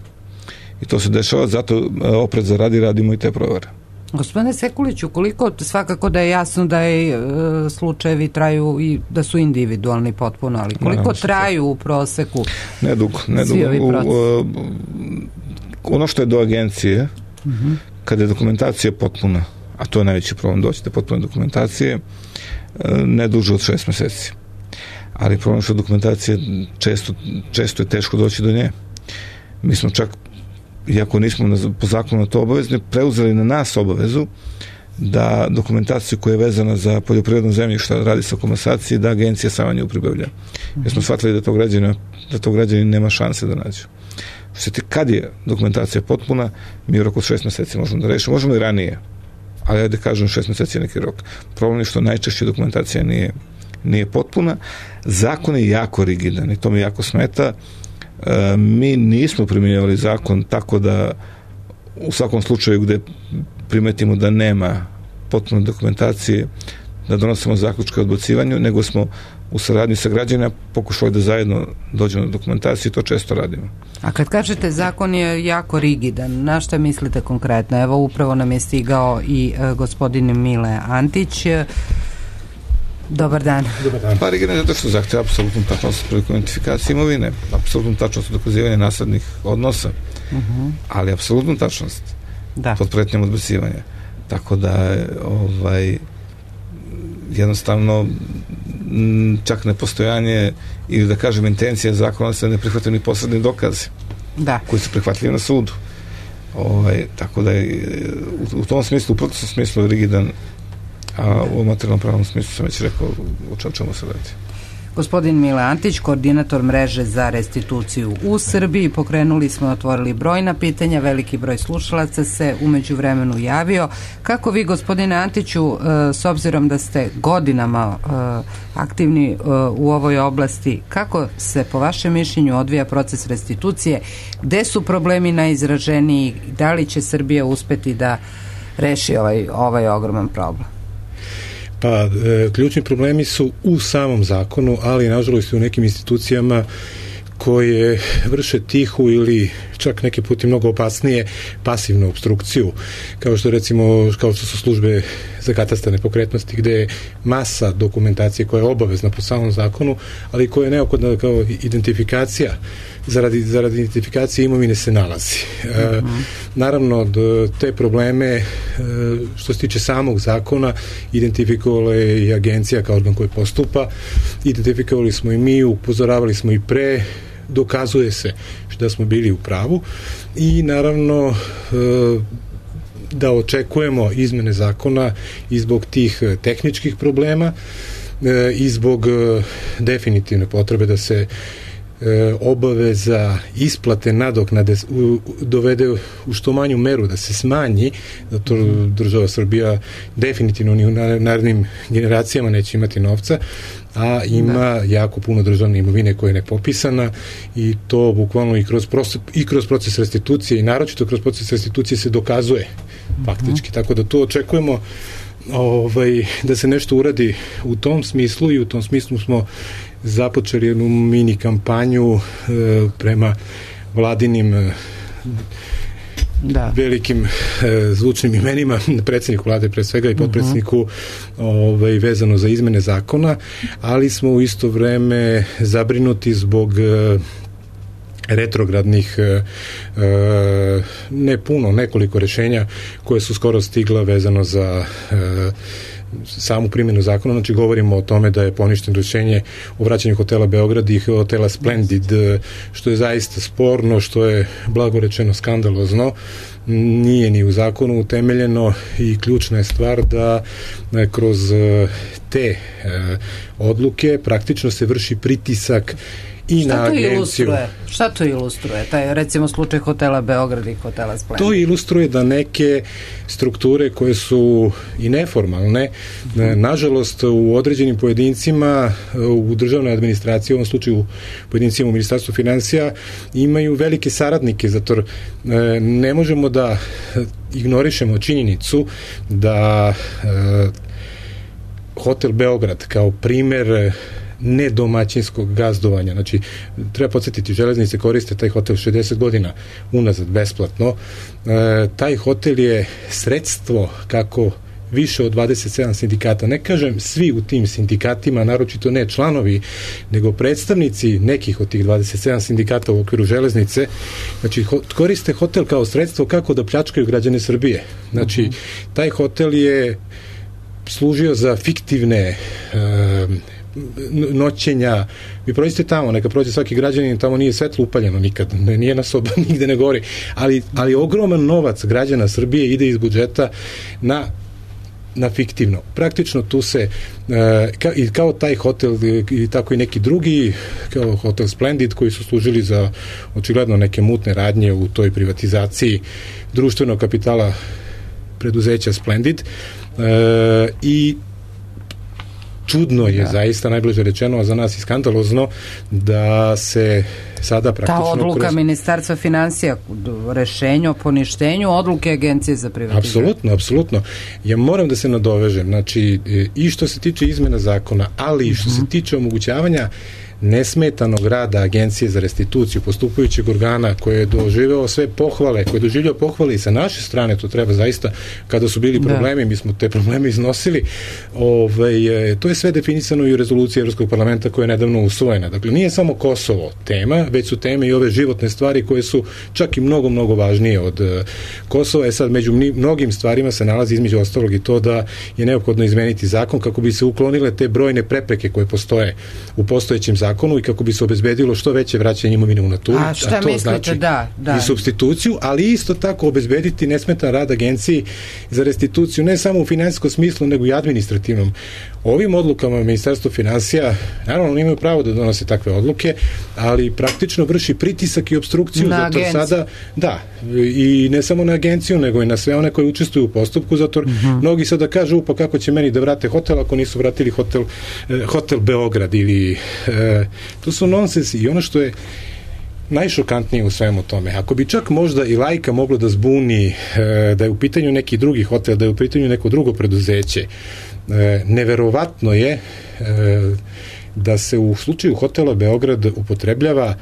I to se dešava, zato opreza radimo i te provere. Gospodine Sekuliću, koliko svakako da je jasno da je slučajevi traju i da su individualni potpuno, ali koliko traju u proseku? Nedugo. Ono što je do agencije, kada je dokumentacija potpuna, a to je najveći problem, doći do potpune dokumentacije, ne duže od 6 meseci. Ali problem što dokumentacija često je teško doći do nje. Mi smo čak, iako nismo po zakonu na to obavezni, preuzeli na nas obavezu da dokumentaciju koja je vezana za poljoprivredno zemljište, radi se o komasaciji, da agencija sama nju pribavlja. Jer smo shvatili da to građani nema šanse da nađu. Kad je dokumentacija potpuna, mi u roku od 6 meseci možemo da rešimo. Možemo i ranije, ali ajde kažem 6 meseci je neki rok. Problem je što najčešće dokumentacija nije potpuna. Zakon je jako rigidan i to mi jako smeta. Mi nismo primjenjivali zakon tako da u svakom slučaju gde primetimo da nema potpune dokumentacije da donosimo zaključke o odbacivanju, nego smo u saradnji sa građanima pokušali da zajedno dođemo do dokumentacije i to često radimo. A kad kažete zakon je jako rigidan, na šta mislite konkretno? Evo upravo nam je stigao i gospodin Mile Antić. Dobar dan. Pa rigidan je zato što zahteva apsolutnu tačnost prilikom identifikacije imovine, apsolutnu tačnost dokazivanja naslednih odnosa, ali apsolutnu tačnost pod pretnjom odbacivanja. Tako da jednostavno čak nepostojanje ili da kažem intencija zakona se ne prihvataju ni posredni dokazi koji su prihvatljivi na sudu. Tako da je u tom smislu, u procesnom smislu je rigidan, a u materijalnom pravnom smislu sam već rekao o čemu se radi. Gospodin Mile Antić, koordinator mreže za restituciju u Srbiji. Pokrenuli smo, otvorili brojna pitanja, veliki broj slušalaca se umeđu vremenu javio. Kako vi, gospodine Antiću, s obzirom da ste godinama aktivni u ovoj oblasti, kako se po vašem mišljenju odvija proces restitucije? Gde su problemi najizraženiji? Da li će Srbija uspeti da reši ovaj ogroman problem? Pa, ključni problemi su u samom zakonu, ali nažalost i u nekim institucijama koje vrše tihu ili čak neke puti mnogo opasnije pasivnu opstrukciju, kao što su službe za katastar nepokretnosti, gde je masa dokumentacije koja je obavezna po samom zakonu, ali koja je neophodna kao identifikacija, zaradi identifikacije imovine se nalazi. Naravno, te probleme što se tiče samog zakona identifikovala je i agencija kao organ koji postupa, identifikovali smo i mi, upozoravali smo i pre, dokazuje se da smo bili u pravu i naravno da očekujemo izmene zakona i zbog tih tehničkih problema i zbog definitivne potrebe da se obaveza isplate nadoknade dovede u što manju meru, da se smanji, zato država Srbija definitivno ni u narednim generacijama neće imati novca, a ima jako puno državne imovine koja je nepopisana i to bukvalno i kroz proces restitucije i naročito kroz proces restitucije se dokazuje faktički, tako da to očekujemo da se nešto uradi u tom smislu i u tom smislu smo započeli jednu mini kampanju prema vladinim velikim zvučnim imenima, predsjedniku vlade pre svega i potpredsjedniku vezano za izmene zakona, ali smo u isto vreme zabrinuti zbog retrogradnih nekoliko rešenja koje su skoro stigla vezano za samu primjenu zakona, znači govorimo o tome da je poništeno rešenje o vraćanju hotela Beograd i hotela Splendid, što je zaista sporno, što je blagorečeno skandalozno, nije ni u zakonu utemeljeno i ključna je stvar da kroz te odluke praktično se vrši pritisak i na agenciju. Šta to ilustruje? Taj, recimo, slučaj hotela Beograd i hotela Splendid. To ilustruje da neke strukture koje su i neformalne, nažalost, u određenim pojedincima u državnoj administraciji, u ovom slučaju pojedincima u Ministarstvu finansija, imaju velike saradnike, zato ne možemo da ignorišemo činjenicu da hotel Beograd kao primer nedomaćinskog gazdovanja. Znači, treba podsjetiti, železnice koriste taj hotel 60 godina unazad besplatno. Taj hotel je sredstvo kako više od 27 sindikata, ne kažem svi u tim sindikatima, naročito ne članovi, nego predstavnici nekih od tih 27 sindikata u okviru železnice, znači koriste hotel kao sredstvo kako da pljačkaju građane Srbije. Znači, taj hotel je služio za fiktivne noćenja. Vi prođete tamo, neka prođe svaki građanin, tamo nije svetlo upaljeno nikad, nije na soba, nigde ne gori, ali ogroman novac građana Srbije ide iz budžeta na fiktivno. Praktično tu se i kao taj hotel i tako i neki drugi, kao hotel Splendid, koji su služili za očigledno neke mutne radnje u toj privatizaciji društvenog kapitala preduzeća Splendid i čudno je zaista, najbliže rečeno, a za nas i skandalozno, da se sada praktično... Ta odluka Ministarstva finansija, rešenje o poništenju odluke Agencije za privatizaciju. Apsolutno. Ja moram da se nadovežem, znači, i što se tiče izmena zakona, ali i što se tiče omogućavanja nesmetanog rada Agencije za restituciju, postupajućeg organa koje je doživeo sve pohvale, koje je doživio pohvale i sa naše strane, to treba zaista, kada su bili problemi, mi smo te probleme iznosili, to je sve definisano i u rezoluciji Evropskog parlamenta koja je nedavno usvojena. Dakle, nije samo Kosovo tema, već su teme i ove životne stvari koje su čak i mnogo, mnogo važnije od Kosova. Sad, među mnogim stvarima se nalazi između ostalog i to da je neophodno izmeniti zakon kako bi se uklonile te brojne prepreke koje postoje u postojećem zakonu i kako bi se obezbedilo što veće vraćanje imovine u naturi, a to mislite, znači i supstituciju, ali isto tako obezbediti nesmetan rad Agenciji za restituciju, ne samo u finansijskom smislu, nego i administrativnom. Ovim odlukama Ministarstvo finansija, naravno, imaju pravo da donose takve odluke, ali praktično vrši pritisak i obstrukciju, na zato agenciju. Sada, i ne samo na agenciju, nego i na sve one koji učestvuju u postupku, zato mnogi sada kažu, pa kako će meni da vrate hotel ako nisu vratili hotel Beograd ili to su nonsensi. I ono što je najšokantnije u svemu tome, ako bi čak možda i lajka moglo da zbuni da je u pitanju neki drugi hotel, da je u pitanju neko drugo preduzeće, neverovatno je da se u slučaju hotela Beograd upotrebljava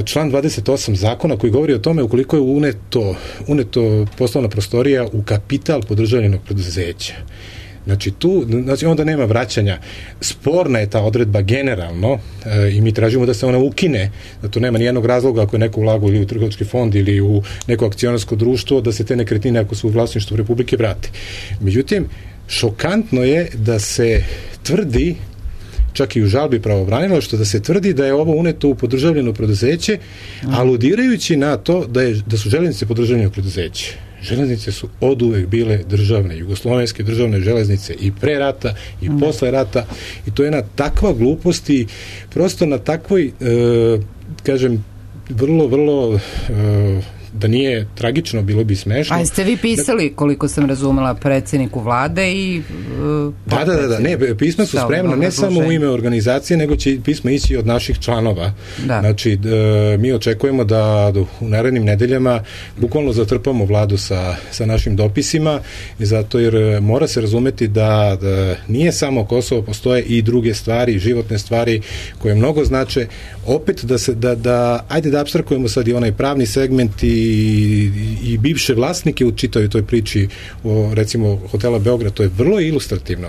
član 28 zakona koji govori o tome ukoliko je uneto poslovna prostorija u kapital podržavljenog preduzeća. Znači onda nema vraćanja. Sporna je ta odredba generalno i mi tražimo da se ona ukine, da to nema nijednog razloga ako je neko ulagao ili u trgovački fond ili u neko akcionarsko društvo, da se te nekretnine ako su u vlasništvu Republike vrate. Međutim, šokantno je da se tvrdi, čak i u žalbi pravobranilaštva, da se tvrdi da je ovo uneto u podržavljeno preduzeće, aludirajući na to da su železnice podržavljeno preduzeće. Železnice su oduvek bile državne, jugoslovenske državne železnice i pre rata i posle rata, i to je jedna takva glupost i prosto na takvoj, kažem, vrlo da nije tragično, bilo bi smešno. A jeste vi pisali, koliko sam razumela, predsjedniku vlade i Da, ne, pisma su spremna ne samo u ime organizacije, nego će pisma ići od naših članova. Da. Znači, mi očekujemo da u narednim nedeljama bukvalno zatrpamo vladu sa našim dopisima, i zato jer mora se razumeti da nije samo Kosovo, postoje i druge stvari, životne stvari koje mnogo znače. Opet ajde da apstrakujemo sad i onaj pravni segment i bivše vlasnike u čitavoj toj priči o, recimo, hotela Beograd. To je vrlo ilustrativno.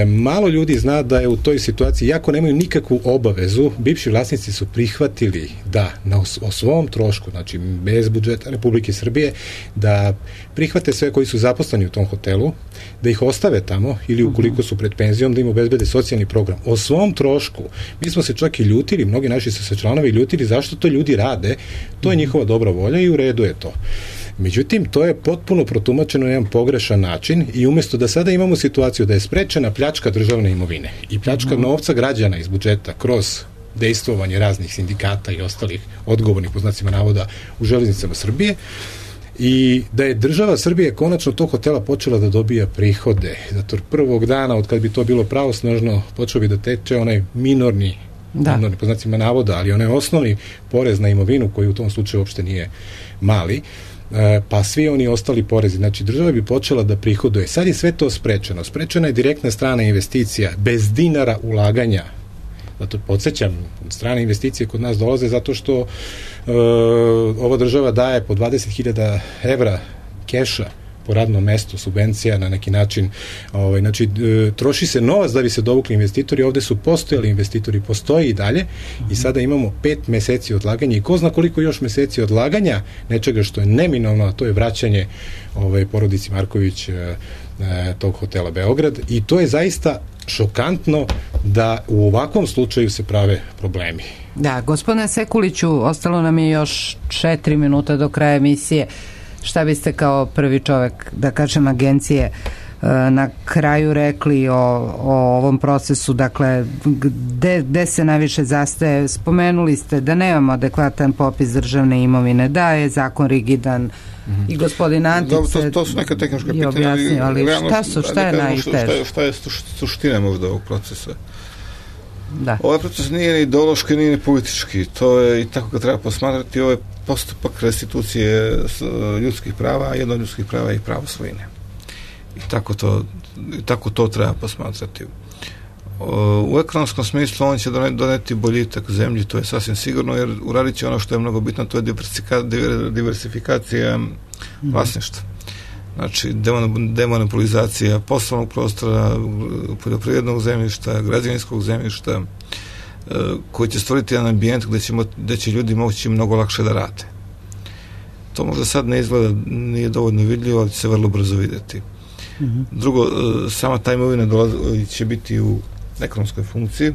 Malo ljudi zna da je u toj situaciji, jako nemaju nikakvu obavezu, bivši vlasnici su prihvatili da o svom trošku, znači bez budžeta Republike Srbije, da prihvate sve koji su zaposleni u tom hotelu, da ih ostave tamo, ili ukoliko su pred penzijom, da im obezbede socijalni program. O svom trošku. Mi smo se čak i ljutili, mnogi naši su se članovi ljutili zašto to ljudi rade, to je njihova dobra volja i u redu je to. Međutim, to je potpuno protumačeno na jedan pogrešan način, i umjesto da sada imamo situaciju da je sprečena pljačka državne imovine i pljačka novca građana iz budžeta kroz dejstvovanje raznih sindikata i ostalih odgovornih, po znacima navoda, u železnicama Srbije, i da je država Srbije konačno tog hotela počela da dobija prihode. Zato prvog dana, od kad bi to bilo pravosnažno, počeo bi da teče onaj minorni, po znacima navoda, ali onaj osnovni porez na imovinu, koji u tom slučaju uopšte nije mali, pa svi oni ostali porezi. Znači, država bi počela da prihoduje. Sad je sve to sprečeno. Sprečena je direktna strana investicija, bez dinara ulaganja. Zato podsjećam, strane investicije kod nas dolaze zato što ova država daje po 20.000 evra keša po radnom mestu, subvencija na neki način. Znači, troši se novac da bi se dovukli investitori. Ovde su postojali investitori, postoji i dalje, i sada imamo 5 meseci odlaganja i ko zna koliko još meseci odlaganja nečega što je neminovno, a to je vraćanje porodici Marković tog hotela Beograd, i to je zaista šokantno da u ovakvom slučaju se prave problemi. Da, gospodine Sekuliću, ostalo nam je još 4 minuta do kraja emisije. Šta biste kao prvi čovek, da kažem, agencije na kraju rekli o ovom procesu, dakle, gde se najviše zastaje? Spomenuli ste da nemamo adekvatan popis državne imovine, da je zakon rigidan, i gospodin Antic to su neka tehnička pitanja, objasnio, ali šta je najteže? Šta je suština možda ovog procesa? Da. Ovaj proces nije ni ideološki, nije ni politički, to je, i tako ga treba posmatrati, ovo je postupak restitucije ljudskih prava, a jedno od ljudskih prava je i pravo svojine. I tako to treba posmatrati. U ekonomskom smislu on će doneti boljitak zemlji, to je sasvim sigurno, jer uradit će ono što je mnogo bitno, to je diversifikacija vlasništva. Znači, demonopolizacija poslovnog prostora, poljoprivrednog zemljišta, građevinskog zemljišta, koji će stvoriti jedan ambijent gde će ljudi moći mnogo lakše da rade. To možda sad ne izgleda, nije dovoljno vidljivo, ali će se vrlo brzo vidjeti. Drugo, sama ta imovina će biti u ekonomskoj funkciji,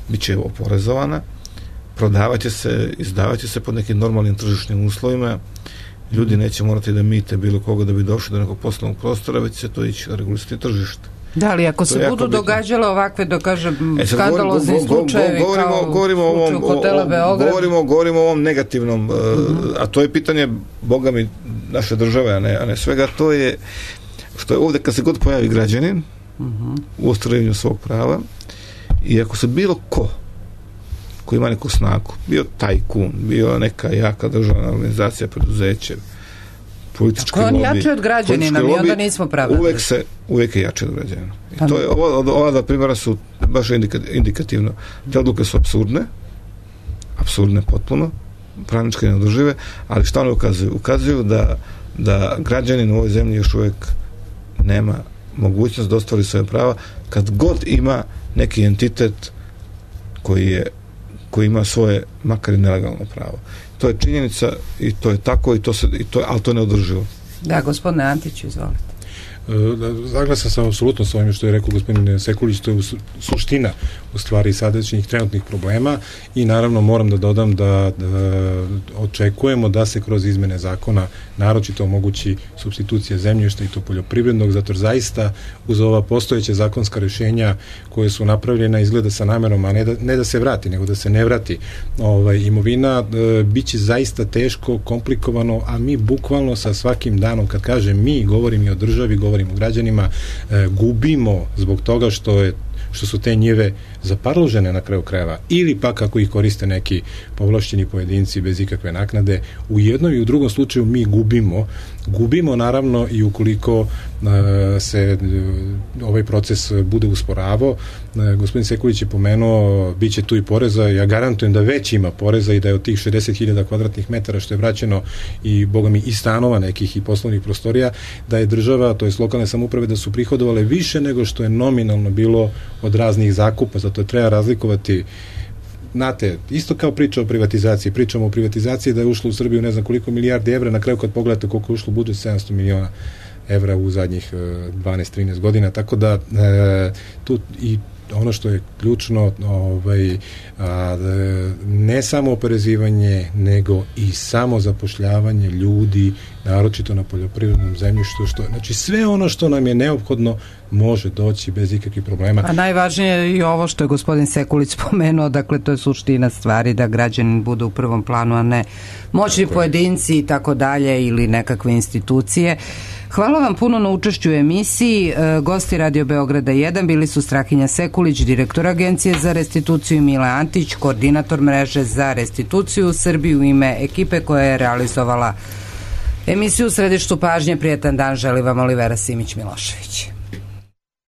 bit će oporezovana, prodavaće se, izdavaće se pod nekim normalnim tržišnim uslovima, ljudi neće morati da mite bilo koga da bi došli do nekog poslovnog prostora, već će to ići na regulisati tržište. Da, ali ako se budu događale ovakve, da kažem, skandalozni slučajevi kao u slučaju hotela Beograd. Govorimo o ovom negativnom, a to je pitanje, Boga mi, naše države, a ne svega, to je što je ovdje kad se god pojavi građanin u ostvarivanju svog prava, i ako se bilo ko koji ima neku snagu, bio tajkun, bio neka jaka državna organizacija, preduzeće, politički lobby. On jači od građanina, mi onda nismo pravedni. Uvijek je jači od građanina. I to je, ova dva primjera su baš indikativno. Te odluke su apsurdne, apsurdne potpuno, pravničke neodržive, ali šta one ukazuju? Ukazuju da građanin u ovoj zemlji još uvijek nema mogućnost da ostvari svoje prava kad god ima neki entitet koji ima svoje, makar i nelegalno pravo. To je činjenica i to je tako, ali to je neodrživo. Da, gospodine Antiću, izvolite. Zaglasan sam apsolutno s ovim što je rekao gospodin Sekulić, to je suština u stvari sadašnjih trenutnih problema i naravno moram da dodam da očekujemo da se kroz izmene zakona naročito omogući supstitucija zemljišta i to poljoprivrednog, zato jer zaista uz ova postojeća zakonska rješenja koje su napravljena izgleda sa namerom, a ne da se vrati, nego da se ne vrati imovina, bit će zaista teško, komplikovano, a mi bukvalno sa svakim danom, kad kažem mi, govorim i o državi, govorim o građanima, gubimo zbog toga što su te njive zaparložene na kraju krajeva ili pak ako ih koriste neki povlašćeni pojedinci bez ikakve naknade. U jednom i u drugom slučaju mi gubimo naravno i ukoliko se ovaj proces bude usporavao. Gospodin Sekulić je pomenuo bit će tu i poreza, ja garantujem da već ima poreza i da je od tih 60.000 kvadratnih metara što je vraćeno i boga mi i stanova nekih i poslovnih prostorija, da je država, to jest lokalne samouprave, da su prihodovale više nego što je nominalno bilo od raznih zakupa, zato treba razlikovati. Znate, isto kao priča o privatizaciji, pričamo o privatizaciji da je ušlo u Srbiju ne znam koliko milijardi evra, na kraju kad pogledate koliko je ušlo u budžet, 700 miliona evra u zadnjih 12-13 godina, tako da tu i ono što je ključno, ne samo oporezivanje, nego i samo zapošljavanje ljudi, naročito na poljoprivrednom zemljištu, znači sve ono što nam je neophodno može doći bez ikakvih problema. A najvažnije je i ovo što je gospodin Sekulić spomenuo, dakle to je suština stvari, da građanin bude u prvom planu, a ne moćni pojedinci i tako dalje ili nekakve institucije. Hvala vam puno na učešću u emisiji. Gosti Radio Beograda 1 bili su Strahinja Sekulić, direktor Agencije za restituciju, i Mile Antić, koordinator mreže za restituciju u Srbiji, u ime ekipe koja je realizovala emisiju. U središtu pažnje, prijetan dan želi vam Olivera Simić Milošević.